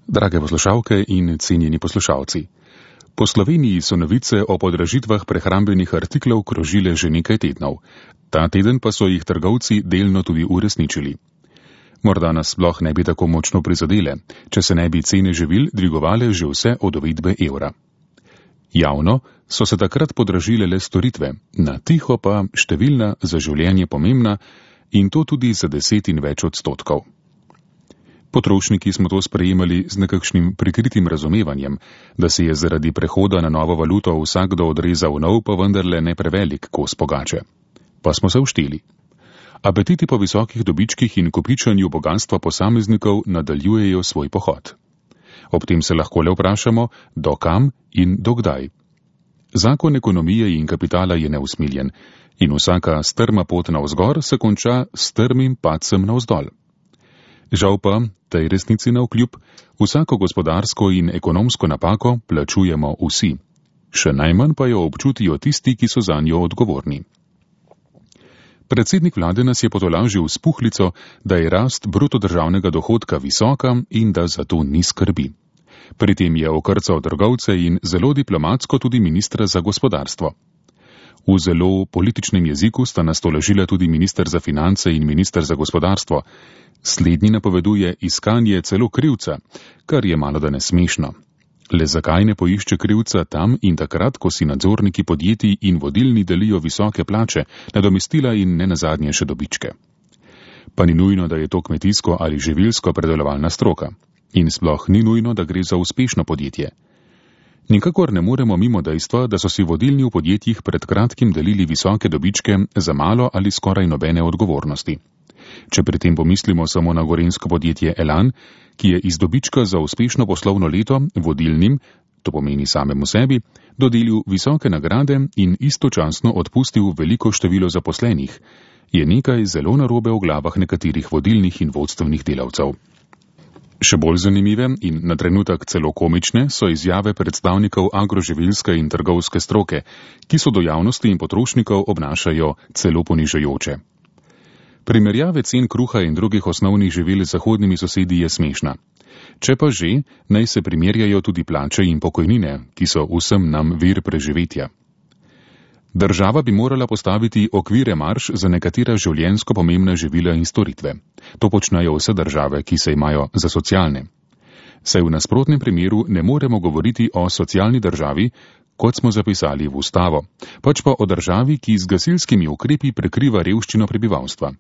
Drage poslušalke in cenjeni poslušalci. Po Sloveniji so novice o podražitvah prehrambenih artiklov krožile že nekaj tednov. Ta teden pa so jih trgovci delno tudi uresničili. Morda nas sploh ne bi tako močno prizadele, če se ne bi cene živil dvigovale že vse od uvedbe evra. Javno so se takrat podražile le storitve, na tiho pa številna za življenje pomembna in to tudi za 10 in več odstotkov. Potrošniki smo to sprejemali z nekakšnim prikritim razumevanjem, da se je zaradi prehoda na novo valuto vsakdo odrezal nov, pa vendarle ne prevelik kos pogače. Pa smo se ušteli. Apetiti po visokih dobičkih in kopičanju bogatstva posameznikov nadaljujejo svoj pohod. Ob tem se lahko le vprašamo, do kam in do kdaj. Zakon ekonomije in kapitala je neusmiljen in vsaka strma pot navzgor se konča s strmim padcem navzdol. Žal pa, tej resnici navkljub, vsako gospodarsko in ekonomsko napako plačujemo vsi. Še najmanj pa jo občutijo tisti, ki so zanjo odgovorni. Predsednik vlade nas je potolažil s puhlico, da je rast bruto državnega dohodka visoka in da zato ni skrbi. Pri tem je okrcal trgovce in zelo diplomatsko tudi ministra za gospodarstvo. V zelo političnem jeziku sta nas tolažila tudi minister za finance in minister za gospodarstvo. Slednji napoveduje iskanje celo krivca, kar je malodane smešno. Le zakaj ne poišče krivca tam in takrat, ko si nadzorniki podjetij in vodilni delijo visoke plače, nadomestila in ne nazadnje še dobičke? Pa ni nujno, da je to kmetijsko ali živilsko predelovalna stroka. In sploh ni nujno, da gre za uspešno podjetje. Nikakor ne moremo mimo dejstva, da so si vodilni v podjetjih pred kratkim delili visoke dobičke za malo ali skoraj nobene odgovornosti. Če pri tem pomislimo samo na gorenjsko podjetje Elan, ki je iz dobička za uspešno poslovno leto vodilnim, to pomeni samemu sebi, dodelil visoke nagrade in istočasno odpustil veliko število zaposlenih, je nekaj zelo narobe v glavah nekaterih vodilnih in vodstvenih delavcev. Še bolj zanimive in na trenutek celo komične so izjave predstavnikov agroživilske in trgovske stroke, ki so do javnosti in potrošnikov obnašajo celo ponižajoče. Primerjave cen kruha in drugih osnovnih živil z zahodnimi sosedi je smešna. Če pa že, naj se primerjajo tudi plače in pokojnine, ki so vsem nam vir preživetja. Država bi morala postaviti okvire marž za nekatera življenjsko pomembna živila in storitve. To počnejo vse države, ki se imajo za socialne. Saj v nasprotnem primeru ne moremo govoriti o socialni državi, kot smo zapisali v ustavo, pač pa o državi, ki z gasilskimi ukrepi prekriva revščino prebivalstva.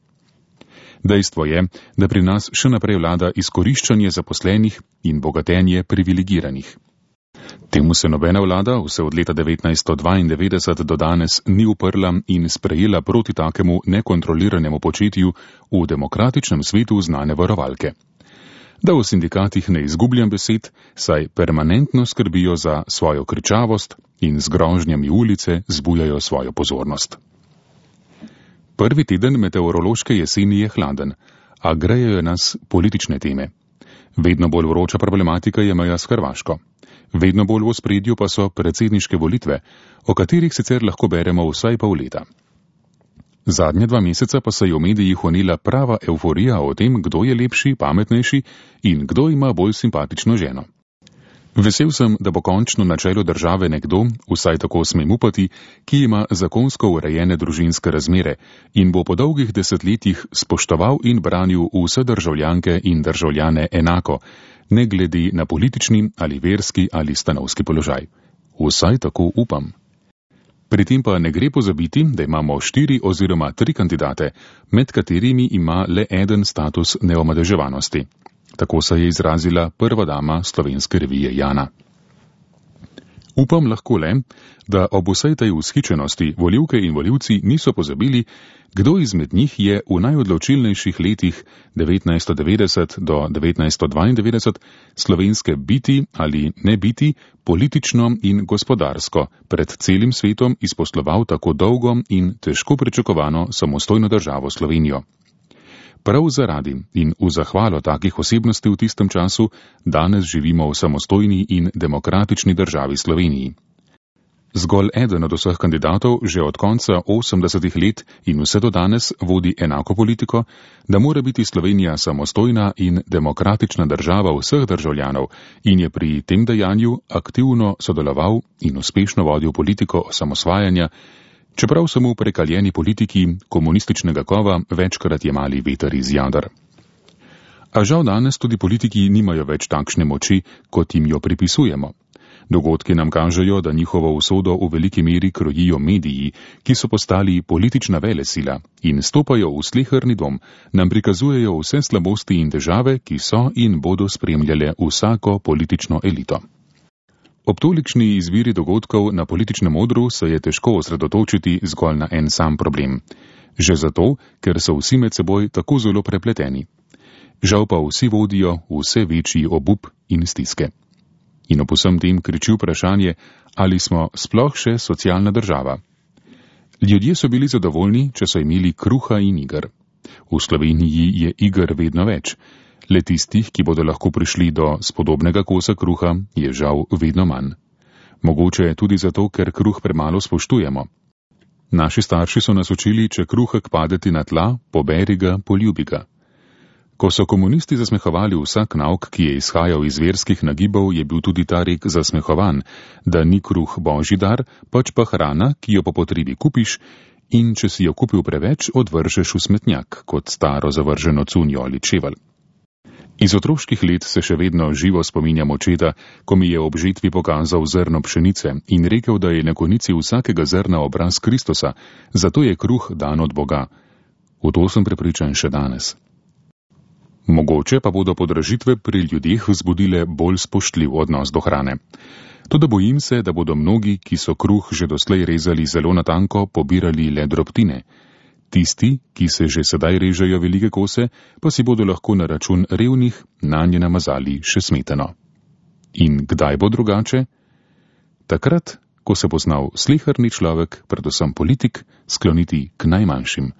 Dejstvo je, da pri nas še naprej vlada izkoriščanje zaposlenih in bogatenje privilegiranih. Temu se nobena vlada vse od leta 1992 do danes ni uprla in sprejela proti takemu nekontroliranemu početju v demokratičnem svetu znane varovalke. Da v sindikatih ne izgubljam besed, saj permanentno skrbijo za svojo kričavost in z grožnjami ulice zbujajo svojo pozornost. Prvi teden meteorološke jeseni je hladen, a grejejo nas politične teme. Vedno bolj vroča problematika je meja s Hrvaško. Vedno bolj v ospredju pa so predsedniške volitve, o katerih sicer lahko beremo vsaj pol leta. Zadnja 2 meseca pa se je v medijih honila prava evforija o tem, kdo je lepši, pametnejši in kdo ima bolj simpatično ženo. Vesel sem, da bo končno na čelu države nekdo, vsaj tako smem upati, ki ima zakonsko urejene družinske razmere in bo po dolgih desetletjih spoštoval in branil vse državljanke in državljane enako, ne glede na politični ali verski ali stanovski položaj. Vsaj tako upam. Pri tem pa ne gre pozabiti, da imamo 4 oziroma 3 kandidate, med katerimi ima le eden status neomadeževanosti. Tako se je izrazila prva dama slovenske revije Jana. Upam lahko le, da ob vsej tej vzhičenosti volivke in volivci niso pozabili, kdo izmed njih je v najodločilnejših letih 1990 do 1992 slovenske biti ali ne biti politično in gospodarsko pred celim svetom izposloval tako dolgo in težko pričakovano samostojno državo Slovenijo. Prav zaradi in v zahvalo takih osebnosti v tistem času danes živimo v samostojni in demokratični državi Sloveniji. Zgolj eden od vseh kandidatov že od konca 80. let in vse do danes vodi enako politiko, da mora biti Slovenija samostojna in demokratična država vseh državljanov in je pri tem dejanju aktivno sodeloval in uspešno vodil politiko osamosvajanja, čeprav so mu prekaljeni politiki komunističnega kova večkrat jemali veter iz jader. A žal danes tudi politiki nimajo več takšne moči, kot jim jo pripisujemo. Dogodki nam kažejo, da njihovo usodo v veliki meri krojijo mediji, ki so postali politična velesila in stopajo v sleherni dom, nam prikazujejo vse slabosti in težave, ki so in bodo spremljale vsako politično elito. Ob tolikšni izbiri dogodkov na političnem odru se je težko osredotočiti zgolj na en sam problem. Že zato, ker so vsi med seboj tako zelo prepleteni. Žal pa vsi vodijo vse večji obup in stiske. In ob vsem tem kriči vprašanje, ali smo sploh še socialna država. Ljudje so bili zadovoljni, če so imeli kruha in iger. V Sloveniji je iger vedno več. Le tistih, ki bodo lahko prišli do spodobnega kosa kruha, je žal vedno manj. Mogoče je tudi zato, ker kruh premalo spoštujemo. Naši starši so nas učili, če kruhek padeti na tla, poberi ga, poljubi ga. Ko so komunisti zasmehovali vsak nauk, ki je izhajal iz verskih nagibov, je bil tudi ta rek zasmehovan, da ni kruh božji dar, pač pa hrana, ki jo po potrebi kupiš in če si jo kupil preveč, odvržeš v smetnjak, kot staro zavrženo cunjo ali čevelj. Iz otroških let se še vedno živo spominjam očeta, ko mi je ob žetvi pokazal zrno pšenice in rekel, da je na konici vsakega zrna obraz Kristusa, zato je kruh dan od Boga. V to sem prepričan še danes. Mogoče pa bodo podražitve pri ljudeh vzbudile bolj spoštljiv odnos do hrane. Toda bojim se, da bodo mnogi, ki so kruh že doslej rezali zelo natanko, pobirali le drobtine. Tisti, ki se že sedaj režejo velike kose, pa si bodo lahko na račun revnih nanje namazali še smetano. In kdaj bo drugače? Takrat, ko se bo znal sleherni človek, predvsem politik, skloniti k najmanjšim.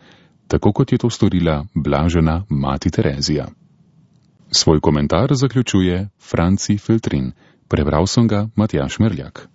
Tako kot je to storila blažena mati Terezija. Svoj komentar zaključuje Franci Feltrin. Prebral sem ga Matjaž Merljak.